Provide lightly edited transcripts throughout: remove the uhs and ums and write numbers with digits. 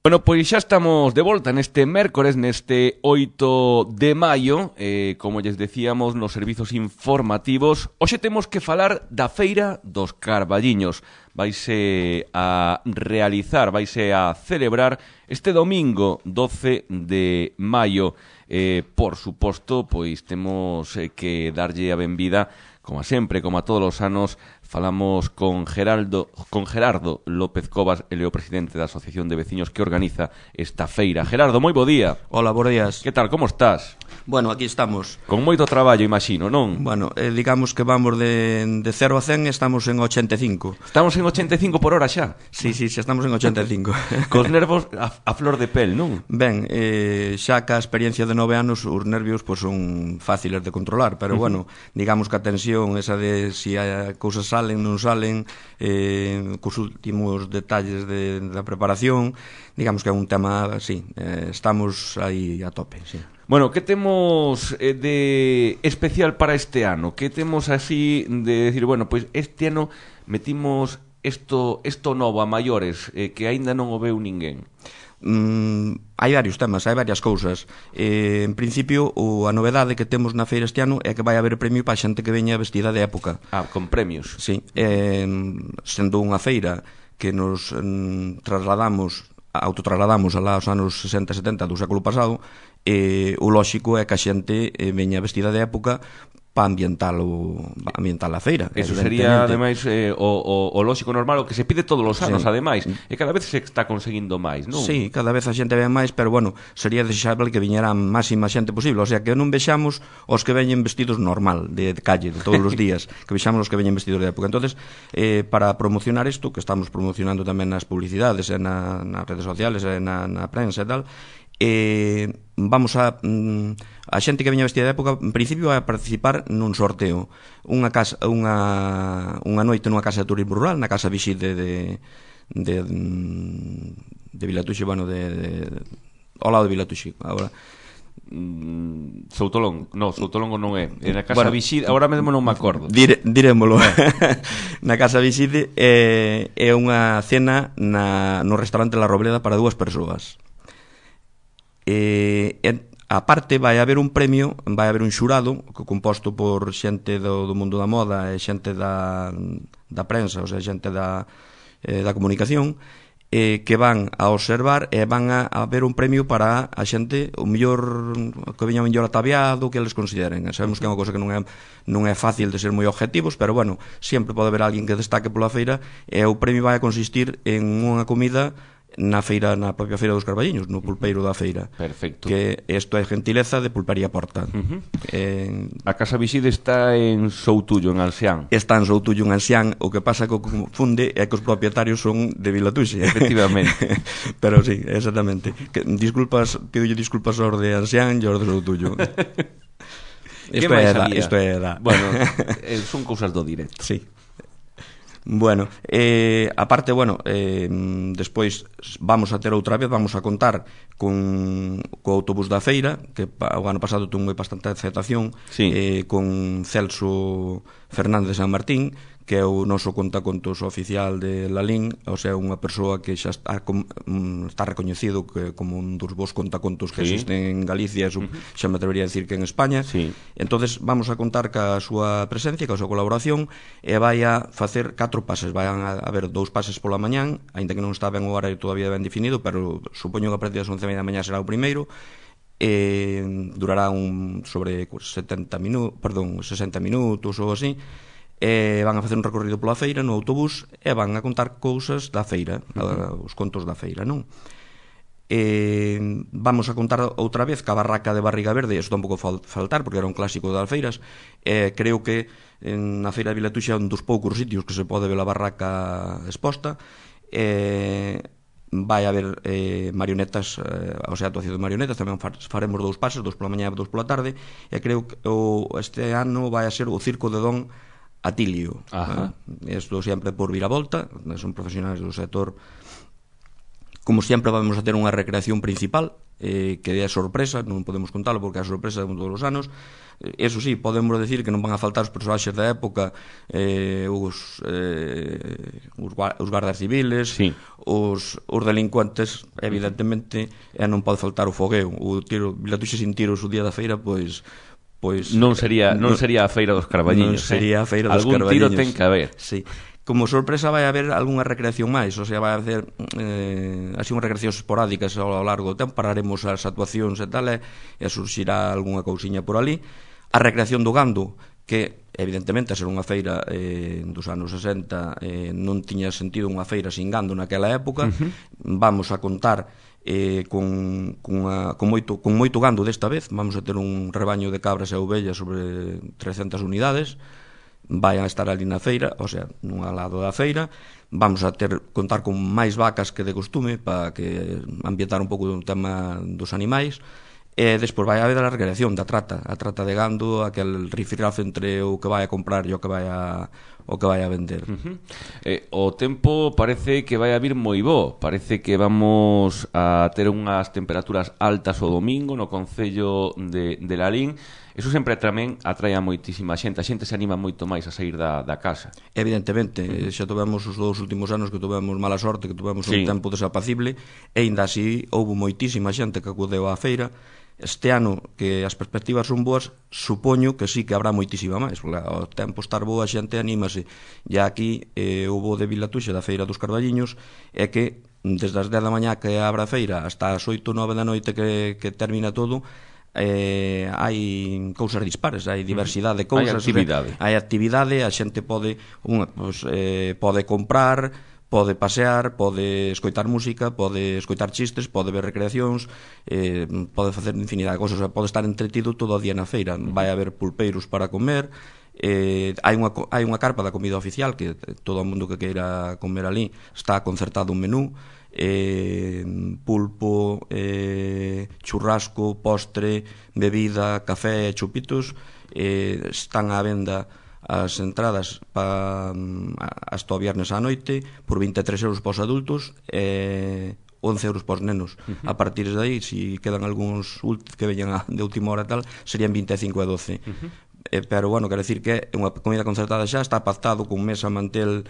Bueno, pois xa estamos de volta neste mércores, neste 8 de maio, como lles decíamos nos servizos informativos. Hoxe temos que falar da Feira dos Carballiños. Vaise a realizar, vaise a celebrar este domingo 12 de maio. Por suposto, pois temos que darlle a benvida, como sempre, como a todos os anos. Falamos con Gerardo López Cobas, ele é o presidente da Asociación de Veciños que organiza esta feira. Gerardo, moi bo día. Hola, bons días. Que tal, como estás? Bueno, aquí estamos. Con moito traballo, imagino, non? Bueno, digamos que vamos de 0 a 100 e estamos en 85. Estamos en 85 por hora xa? Sí, xa estamos en 85. Cos nervos a flor de pel, non? Ben, xa que a experiencia de 9 anos, os nervios pues, son fáciles de controlar, pero bueno, digamos que a tensión esa de si a cousas salen, non salen, cos últimos detalles da preparación, digamos que é un tema, sí, estamos aí a tope, sí. Bueno, que temos de especial para este ano? Que temos así de decir, bueno, pois este ano metimos isto novo a maiores, que aínda non o veu ninguén? Hai varios temas, hai varias cousas. En principio, a novedade que temos na feira este ano é que vai haber premio para a xente que veña vestida de época. Ah, con premios. Sí, sendo unha feira que nos autotrasladamos alá aos anos 60 e 70 do século pasado, o lóxico é que a xente veña vestida de época para ambientar a feira. Eso sería, ademais, o lóxico normal, o que se pide todos os anos, sí. Ademais, e cada vez se está conseguindo máis, non? Sí, cada vez a xente ven máis, pero, bueno, sería desexable que viñera a máxima xente posible, o sea, que non vexamos os que veñen vestidos normal, de calle, de todos os días, que vexamos os que veñen vestidos de época. Entonces, para promocionar isto, que estamos promocionando tamén nas publicidades, nas redes sociales, na prensa e tal, vamos a xente que veña vestida de época en principio vai a participar nun sorteo, unha noite nunha casa de turismo rural, na casa Viside de Vilatuxe, bueno, ao lado de Vilatuxe agora. Soutolongo non é na casa, bueno, Viside, agora mesmo non me acordo, dirémolo. Na casa Viside é unha cena no restaurante La Robleda para 2 persoas. A parte vai haber un premio, vai haber un xurado composto por xente do mundo da moda e xente da prensa, o sea, xente da comunicación, que van a observar e van a haber un premio para a xente o mellor, que veña o mellor ataviado, que eles consideren. Sabemos que é unha cosa que non é fácil de ser moi objetivos, pero bueno, sempre pode haber alguén que destaque pola feira, e o premio vai a consistir en unha comida na propia feira dos Carballiños, no pulpeiro da feira. Perfecto. Que isto é gentileza de Pulpería Porta. A casa Viside está en Soutullo, en Ansián. Está en Soutullo, en Ansián. O que pasa que o confunde é que os propietarios son de Vilatuxe. Efectivamente. Pero sí, exactamente. Pidolle disculpas aos de Ansián e aos de Soutullo. Isto é da. Bueno, son cousas do directo. Sí. Bueno, aparte, bueno, despois vamos a ter outra vez, vamos a contar co autobús da feira, que o ano pasado tuvo bastante aceptación, sí. Con Celso Fernández San Martín, que é o noso contacontos oficial de Lalín, o sea, unha persoa que xa está recoñecido como un dos bons contacontos que existen en Galicia, xa me atrevería a decir que en España. Sí. Entonces vamos a contar ca súa presencia, ca súa colaboración, e vai a facer 4 pases. Vai a haber 2 pases pola mañán, aínda que non está ben o horario todavía ben definido, pero supoño que a partir das 11:30 da mañá será o primeiro. Durará sobre 60 minutos ou así. Van a facer un recorrido pola feira no autobús e van a contar cousas da feira, os contos da feira, non? Vamos a contar outra vez ca barraca de Barriga Verde, eso tampouco faltar porque era un clásico das feiras. Creo que na feira de Vilatuxe é un dos poucos sitios que se pode ver a barraca exposta. Vai haber marionetas, o sea, actuación de marionetas. Tamén faremos 2 pases, 2 pola mañá e 2 pola tarde. E creo que este ano vai a ser o Circo de Don Atilio. Isto sempre por viravolta, son profesionales do sector Como sempre vamos a ter unha recreación principal, que é sorpresa, non podemos contalo porque é sorpresa de todos os anos. Eso sí, podemos decir que non van a faltar os personaxes da época, os guardas civiles, sí, os delincuentes, evidentemente, e non pode faltar o fogueo. O tiro, Vilatuxe sin tiros o día da feira, pois non sería a feira dos Carballiños. Non sería a feira dos Carballiños. Algún tiro ten que haber. Sí. Como sorpresa vai haber algunha recreación máis, o sea, vai haber así unhas recreacións esporádicas ao largo do tempo, pararemos as actuacións e tal, e surxirá algunha cousiña por ali. A recreación do gando, que evidentemente a ser unha feira dos anos 60 non tiña sentido unha feira sin gando naquela época. Vamos a contar con moito gando desta vez. Vamos a ter un rebaño de cabras e ovellas sobre 300 unidades. Vai a estar ali na feira, o sea, nun lado da feira. Vamos a contar con máis vacas que de costume, para que ambientar un pouco o tema dos animais. E despois vai haber a recreación da trata, a trata de gando, aquel rifirrafe entre o que vai a comprar e o que vai a vender. O tempo parece que vai a vir moi bo. Parece que vamos a ter unhas temperaturas altas o domingo no concello de Lalín. Eso sempre tamén atrae a moitísima xente. A xente se anima moito máis a sair da casa. Evidentemente, xa tivemos os 2 últimos anos que tivemos mala sorte, que tivemos un tempo desapacible, e ainda así houve moitísima xente que acudeu á feira. Este ano, que as perspectivas son boas, supoño que sí que habrá moitísima máis, porque ao tempo estar boa a xente anímase. E aquí houve de Vilatuxe da feira dos Carballiños, é que desde as 10 da mañá que abre a feira hasta as 8 ou 9 da noite que termina todo, hai cousas dispares, hai diversidade de cousas, hai actividade, a xente pode comprar, pode pasear, pode escoitar música, pode escoitar chistes, pode ver recreacións, pode facer infinidade de cousas, pode estar entretido todo o día na feira. Vai haber pulpeiros para comer, hai unha carpa da comida oficial que todo o mundo que queira comer ali está concertado un menú, pulpo, churrasco, postre, bebida, café, chupitos. Están á venda as entradas hasta o viernes á noite por 23 euros para os adultos e 11 euros para os nenos. A partir de aí, se quedan algúns que veñan de última hora e tal, serían 25 e 12. Pero, bueno, quero decir que é unha comida concertada xa, está pactado con mesa, mantel,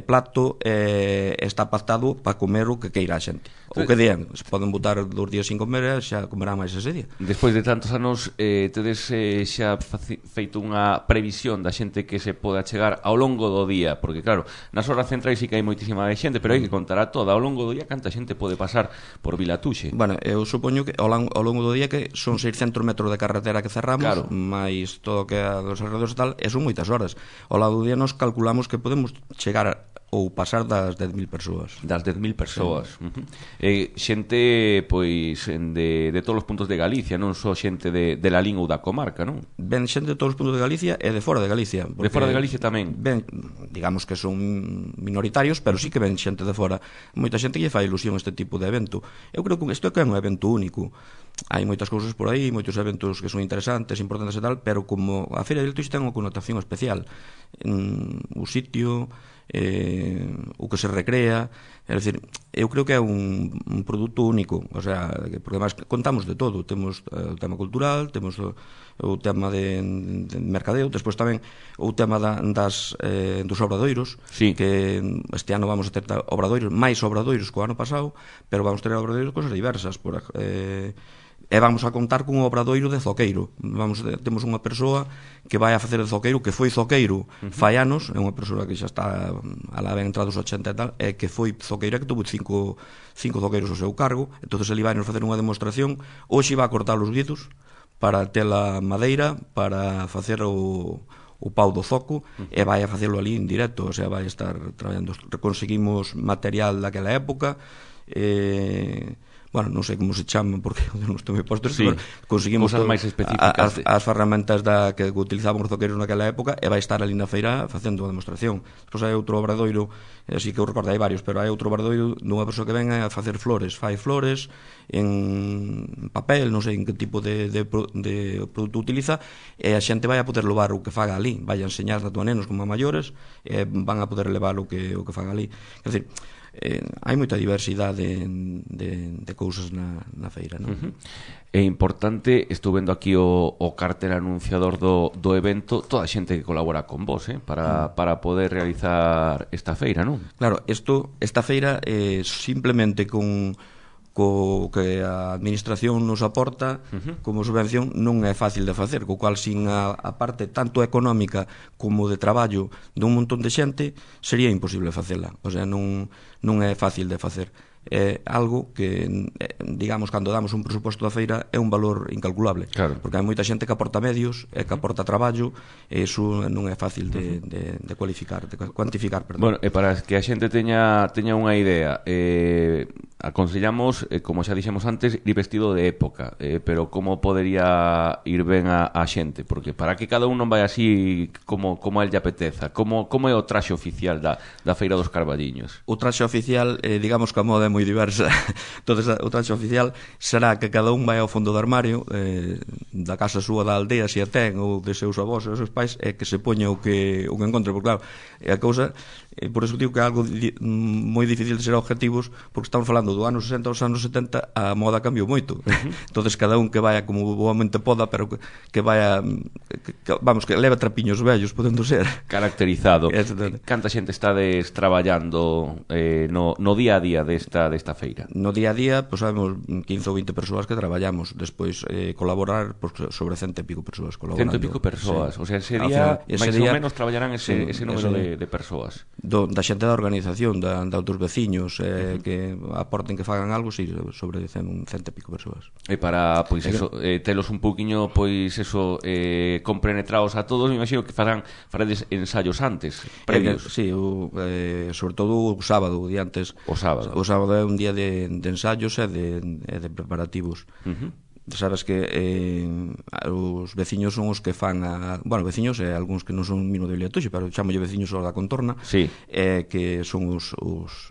plato, está pactado para comer o que queira a xente. O que dean, se poden botar 2 días sin comer, xa comerán máis ese día. Despois de tantos anos, tedes xa feito unha previsión da xente que se pode achegar ao longo do día, porque claro, nas horas centrais sí que hai moitísima xente, pero hai que contar a toda ao longo do día canta xente pode pasar por Vilatuxe. Bueno, eu supoño que ao longo do día que son 600 metros de carretera que cerramos, máis todo o que é dos alrededores e tal, e son moitas horas. Ao lado do día nos calculamos que podemos chegar ou pasar das 10.000 persoas. Das 10.000 persoas. Xente, pois, de todos os puntos de Galicia, non só xente de Lalín ou da comarca, non? Ben xente de todos os puntos de Galicia e de fora de Galicia. De fora de Galicia tamén? Ben, digamos que son minoritarios, pero sí que ven xente de fora. Moita xente que lle fai ilusión este tipo de evento. Eu creo que isto é un evento único. Hai moitas cousas por aí, moitos eventos que son interesantes, importantes e tal, pero como a Feira de Vilatuxe ten unha connotación especial. O sitio, o que se recrea, é dicir, eu creo que é un produto único, o sea, porque además contamos de todo, temos o tema cultural, temos o tema de mercadeo, despois tamén o tema dos obradoiros, que este ano vamos a ter obradoiros, máis obradoiros que o ano pasado, pero vamos a ter obradoiros cosas diversas, e vamos a contar cun obradoiro de zoqueiro. Temos unha persoa que vai a facer de zoqueiro, que foi zoqueiro fai anos, é unha persoa que xa está alá ben entrados 80 e tal, e que foi zoqueira, que tuvo cinco zoqueiros ao seu cargo. Entonces ele vai nos facer unha demostración. Hoxe vai a cortar os guidos para ter a madeira para facer o pau do zoco, e vai a facelo ali en directo, o sea, vai a estar traballando. Conseguimos material daquela época, bueno, non sei como se chaman porque non estou moi posto, pero conseguimos cosas máis específicas as ferramentas que utilizaban os zoqueiros naquela época, e vai estar ali na feira facendo a demostración. Depois hai outro obradoiro, así que eu recordo, hai varios, pero hai outro obradoiro dunha persoa que ven a facer flores, fai flores en papel, non sei en que tipo de produto utiliza, e a xente vai a poder levar o que faga ali, vai a enseñar tanto a nenos como a maiores, e van a poder levar o que faga ali. Quer dizer, hai moita diversidade de cousas na feira, non? É importante, estou vendo aquí o cartel anunciador do evento, toda a xente que colabora con vos, para poder realizar esta feira, non? Claro, esta feira simplemente co que a administración nos aporta como subvención non é fácil de facer, co cual sin a parte tanto económica como de traballo dun montón de xente sería imposible facela, o sea, non é fácil de facer. É algo que, digamos, cando damos un presuposto da feira é un valor incalculable, claro. Porque hai moita xente que aporta medios e que aporta traballo, e iso non é fácil de cuantificar, perdón. Bueno, e para que a xente teña unha idea, aconsellamos, como xa dixemos antes, ir vestido de época, pero como podería ir ben a xente? Porque para que cada un non vai así como a el lle apeteza, como é o traxe oficial da Feira dos Carballiños? O traxe oficial, digamos que a moda é moi diversa. Entonces, o traxe oficial será que cada un vai ao fondo do armario, da casa súa, da aldea, se a ten, ou de seus avós e os seus pais, e que se poña o que encontre, porque claro, a cousa, por eso digo que é algo moi difícil de ser objetivos, porque estamos falando do ano 60 aos anos 70, a moda cambiou moito. Entonces cada un que vaya como boamente poda, pero que vaya, vamos, que leva trapiños vellos, podendo ser caracterizado. Canta xente estades traballando no día a día desta feira? No día a día, pois sabemos 15 ou 20 persoas que traballamos, despois colaborar, sobre 100 e pico persoas colaborando. 100 e pico persoas, sí. O sea, ese día máis ou menos traballarán ese número de persoas. Da xente da organización, da outros veciños, que aporten, que fagan algo, sí, sobre 100 e pico persoas. E para, pois eso, telos un pouquiño, pois eso, compenetrados a todos, me imagino que faredes ensayos antes, previos. Sí, sobre todo o sábado, o día antes. O sábado é un día de ensayos e de preparativos. Sabes que os veciños son os que fan veciños e algúns que non son mino de Villatuxe, pero chamolle veciños da contorna, sí. Que son os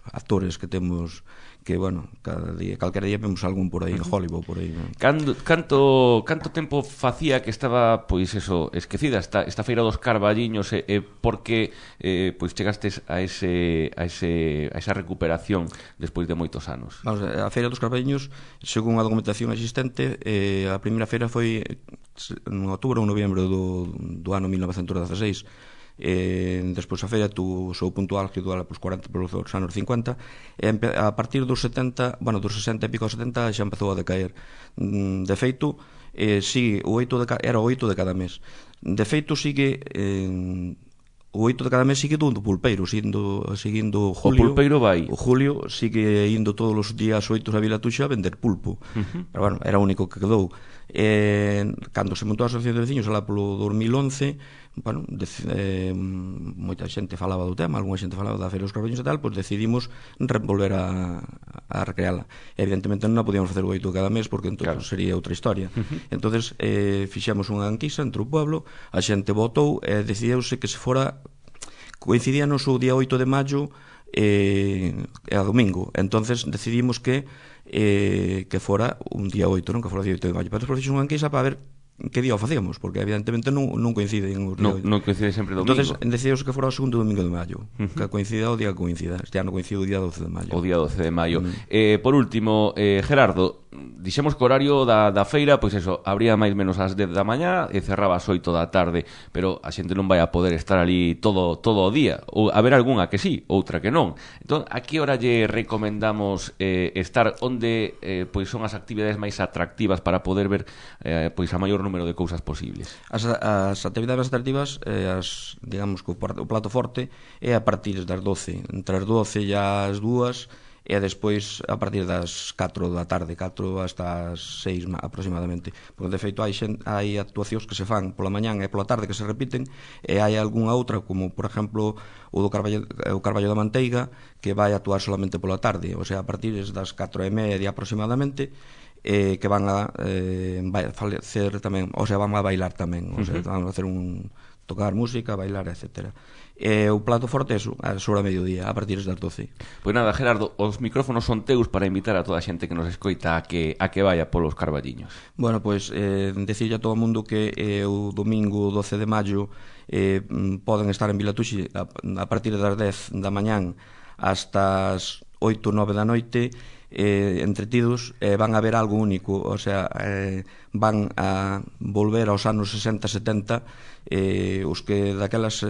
actores que temos, que, bueno, calquera día vemos algún por aí en Hollywood, por aí, ¿no? Canto tempo facía que estaba, pois eso, esquecida esta Feira dos Carballiños, porque pois chegastes a esa recuperación despois de moitos anos? Vamos, a Feira dos Carballiños, según a documentación existente, a primeira feira foi en outubro ou novembro do ano 1916. Despois a feira tuvo o seu punto álgido polos anos 50, e a partir dos 70, bueno, dos 60 e pico aos 70 xa empezou a decaer. De feito, sigue era o 8 de cada mes. De feito, sigue o 8 de cada mes sigue do pulpeiro, seguindo Julio. O pulpeiro vai. O Julio sigue indo todos os días 8 a Villatuxe a vender pulpo. Pero bueno, era o único que quedou. Cando se montou a Asociación de Veciños alá polo 2011, bueno, moita xente falaba do tema, algunha xente falaba da Feira dos Carballiños e tal, pois decidimos volver a recreala. Evidentemente non a podíamos facer o 8 cada mes, porque entón claro, sería outra historia. Entonces fixemos unha enquisa entre o pueblo, a xente votou e decidiuse que se fora, coincidíanos o día 8 de maio e a domingo. Entonces decidimos que fora un día 8, non que fora o día 8 de maio. Pero despois fixemos unha enquisa para ver que día o facíamos, porque evidentemente non coinciden os días. Non coincide sempre o domingo. Entonces decidimos que fora o segundo domingo de maio, que coincida o día que coincida. Este ano coincide o día 12 de maio. O día 12 de maio. Por último, Gerardo, dixemos que o horario da feira, pois eso, abría máis menos ás 10 da mañá e cerraba ás 8 da tarde, pero a xente non vai a poder estar ali todo o día. Ou haber algunha que sí, outra que non. Entón, a que hora lle recomendamos estar onde pois son as actividades máis atractivas para poder ver pois a maior número de cousas posibles? As actividades atractivas, digamos que o plato forte é a partir das 12, entre as 12 e as 2, e despois a partir das 4 da tarde, 4 hasta as 6 aproximadamente, porque de feito hai actuacións que se fan pola mañán e pola tarde que se repiten, e hai algunha outra, como por exemplo o Carballo da Manteiga, que vai actuar solamente pola tarde, o sea, a partir das 4:30 aproximadamente, que van a facer tamén, o sea, van a bailar tamén, o sea, van a hacer tocar música, bailar, etcétera. O plato forte é sobre a mediodía, a partir das 12. Pois nada, Gerardo, os micrófonos son teus para invitar a toda a xente que nos escoita a que vaya polos Carballiños. Bueno, pois decirlle a todo o mundo que o domingo 12 de maio poden estar en Villatuxe a partir das 10 da mañán hasta as 8 ou 9 da noite, entretidos, van a ver algo único, o sea, van a volver aos anos 60-70, os que daquelas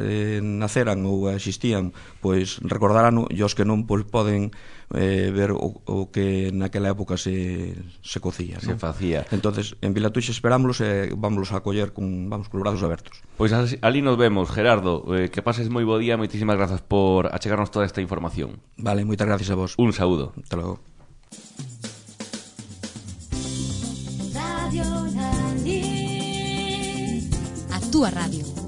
naceran ou existían, pois recordarán, e os que non, pois poden ver o que naquela época se cocía, se facía. Entonces, en Vilatuixa esperámoslos e vámonos a acoller con os brazos abertos. Pois ali nos vemos, Gerardo, que pases moi bo día, moitísimas grazas por achegarnos toda esta información. Vale, moitas gracias a vos. Un saúdo. Hasta logo. Radio Lalín, a túa radio.